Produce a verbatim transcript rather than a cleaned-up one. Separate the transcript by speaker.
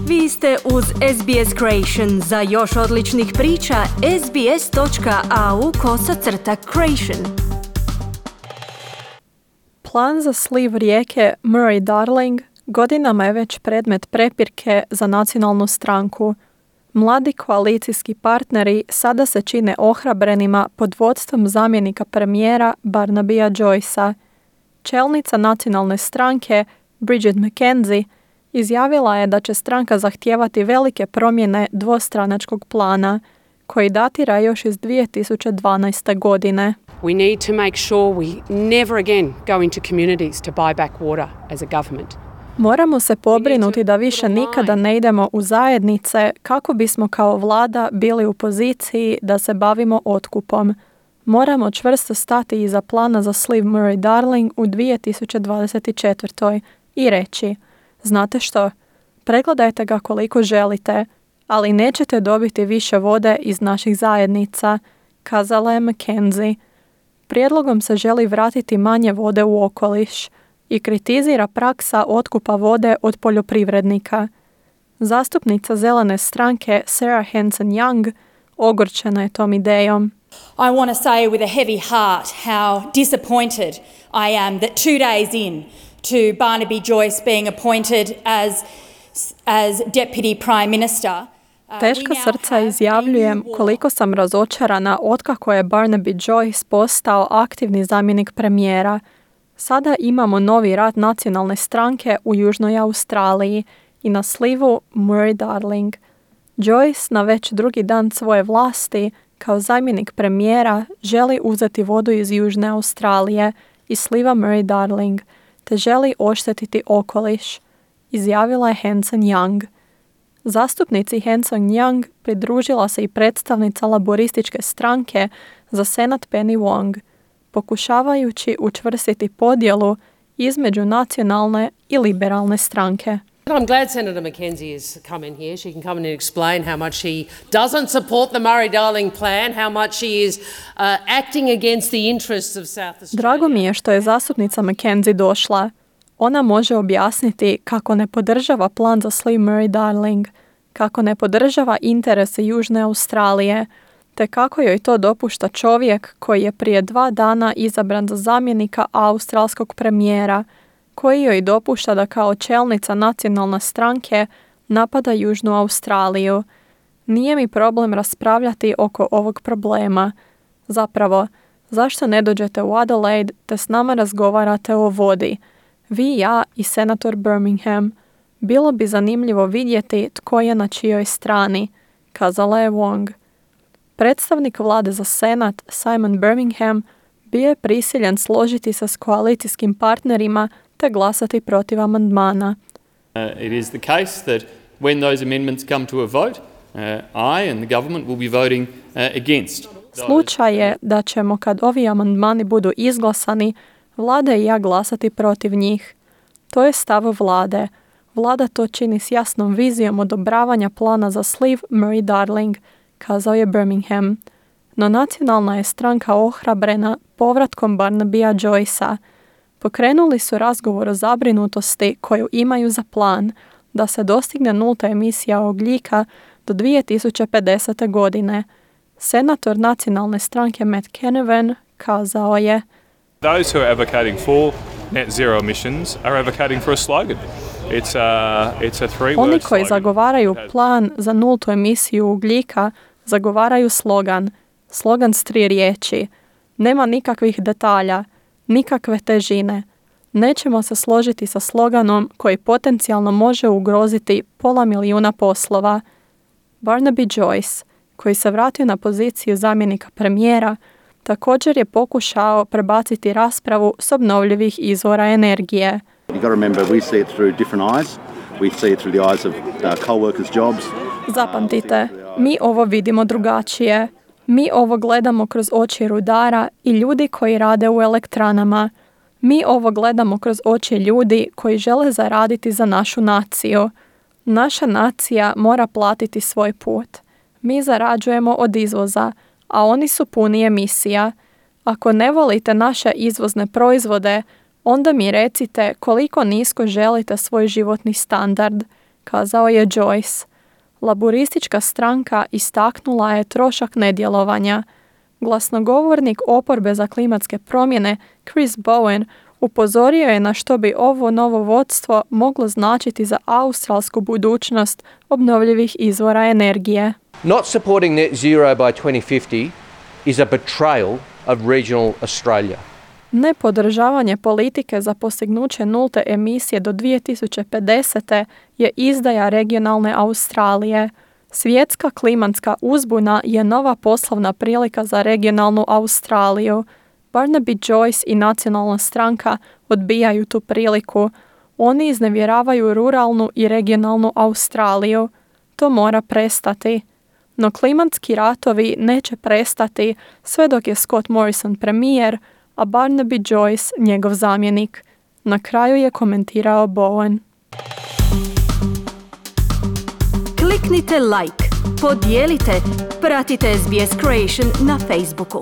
Speaker 1: Vi ste uz S B S Creation. Za još odličnih priča, sbs.au kosacrta creation.
Speaker 2: Plan za sliv rijeke Murray-Darling godinama je već predmet prepirke za nacionalnu stranku. Mladi koalicijski partneri sada se čine ohrabrenima pod vodstvom zamjenika premijera Barnabya Joycea. Čelnica nacionalne stranke Bridget McKenzie izjavila je da će stranka zahtijevati velike promjene dvostranačkog plana, koji datira još iz dvije tisuće dvanaeste. godine.
Speaker 3: We need to make sure we never again go into communities to buy back water as a government.
Speaker 2: Moramo se pobrinuti da više nikada ne idemo u zajednice kako bismo kao vlada bili u poziciji da se bavimo otkupom. Moramo čvrsto stati iza plana za sliv Murray-Darling u dvije tisuće dvadeset četvrtoj. i reći: znate što, pregledajte ga koliko želite, ali nećete dobiti više vode iz naših zajednica, kazala je McKenzie. Prijedlogom se želi vratiti manje vode u okoliš i kritizira praksa otkupa vode od poljoprivrednika. Zastupnica zelene stranke Sarah Hanson-Young ogorčena je tom idejom.
Speaker 4: I want to say with a heavy heart how disappointed I am that two days in to Barnaby Joyce being appointed as, as Deputy Prime Minister.
Speaker 2: Teška srca izjavljujem koliko sam razočarana otkako je Barnaby Joyce postao aktivni zamjenik premijera. Sada imamo novi rat nacionalne stranke u Južnoj Australiji i na slivu Murray-Darling. Joyce na već drugi dan svoje vlasti kao zamjenik premijera želi uzeti vodu iz Južne Australije i sliva Murray-Darling, te želi oštetiti okoliš, izjavila je Hanson-Young. Zastupnici Hanson-Young pridružila se i predstavnica laborističke stranke za senat Penny Wong, pokušavajući učvrstiti podjelu između nacionalne i liberalne stranke.
Speaker 5: I'm glad Senator McKenzie has come in here. She can come in and explain how much she doesn't support the Murray-Darling plan, how much she is uh, acting against the interests of South Australia.
Speaker 2: Drago mi je što je zastupnica McKenzie došla. Ona može objasniti kako ne podržava plan za sliv Murray-Darling, kako ne podržava interese Južne Australije, te kako joj to dopušta čovjek koji je prije dva dana izabran za zamjenika australskog premijera, koji joj dopušta da kao čelnica nacionalne stranke napada Južnu Australiju. Nije mi problem raspravljati oko ovog problema. Zapravo, zašto ne dođete u Adelaide te s nama razgovarate o vodi? Vi, ja i senator Birmingham. Bilo bi zanimljivo vidjeti tko je na čijoj strani, kazala je Wong. Predstavnik vlade za senat Simon Birmingham bio je prisiljen složiti se s koalicijskim partnerima te glasati protiv amandmana.
Speaker 6: Uh, it is the case that when those amendments come to a vote, uh, I and the government will be voting uh, against.
Speaker 2: Slučaj je da ćemo, kad ovi amandmani budu izglasani, vlada i ja glasati protiv njih. To je stav vlade. Vlada to čini s jasnom vizijom odobravanja plana za sliv Murray-Darling, kazao je Birmingham. No nacionalna je stranka ohrabrena povratkom Barnabya Joycea. Pokrenuli su razgovor o zabrinutosti koju imaju za plan da se dostigne nulta emisija ugljika do dvije tisuće pedesete. godine. Senator nacionalne stranke Matt Canavan kazao je:
Speaker 7: Those who are advocating for net zero emissions are advocating for a slogan. It's a, it's a three-word
Speaker 2: Oni koji
Speaker 7: slogan.
Speaker 2: zagovaraju plan za nultu emisiju ugljika zagovaraju slogan. Slogan s tri riječi. Nema nikakvih detalja, nikakve težine. Nećemo se složiti sa sloganom koji potencijalno može ugroziti pola milijuna poslova. Barnaby Joyce, koji se vratio na poziciju zamjenika premijera, također je pokušao prebaciti raspravu s obnovljivih izvora energije.
Speaker 8: You've got to remember, we see it through different eyes. We see it through the eyes of uh, co-workers' jobs.
Speaker 2: Zapamtite, mi ovo vidimo drugačije. Mi ovo gledamo kroz oči rudara i ljudi koji rade u elektranama. Mi ovo gledamo kroz oči ljudi koji žele zaraditi za našu naciju. Naša nacija mora platiti svoj put. Mi zarađujemo od izvoza, a oni su puni emisija. Ako ne volite naše izvozne proizvode, onda mi recite koliko nisko želite svoj životni standard, kazao je Joyce. Laburistička stranka istaknula je trošak nedjelovanja. Glasnogovornik oporbe za klimatske promjene Chris Bowen upozorio je na što bi ovo novo vodstvo moglo značiti za australsku budućnost obnovljivih izvora energije.
Speaker 9: Not supporting net zero by twenty fifty is a betrayal of regional Australia.
Speaker 2: Nepodržavanje politike za postignuće nulte emisije do dvije tisuće pedesete je izdaja regionalne Australije. Svjetska klimatska uzbuna je nova poslovna prilika za regionalnu Australiju. Barnaby Joyce i nacionalna stranka odbijaju tu priliku. Oni iznevjeravaju ruralnu i regionalnu Australiju. To mora prestati. No klimatski ratovi neće prestati sve dok je Scott Morrison premijer, a Barnaby Joyce njegov zamjenik. Na kraju je komentirao Bowen.
Speaker 1: Kliknite like, podijelite, pratite S B S Creation na Facebooku.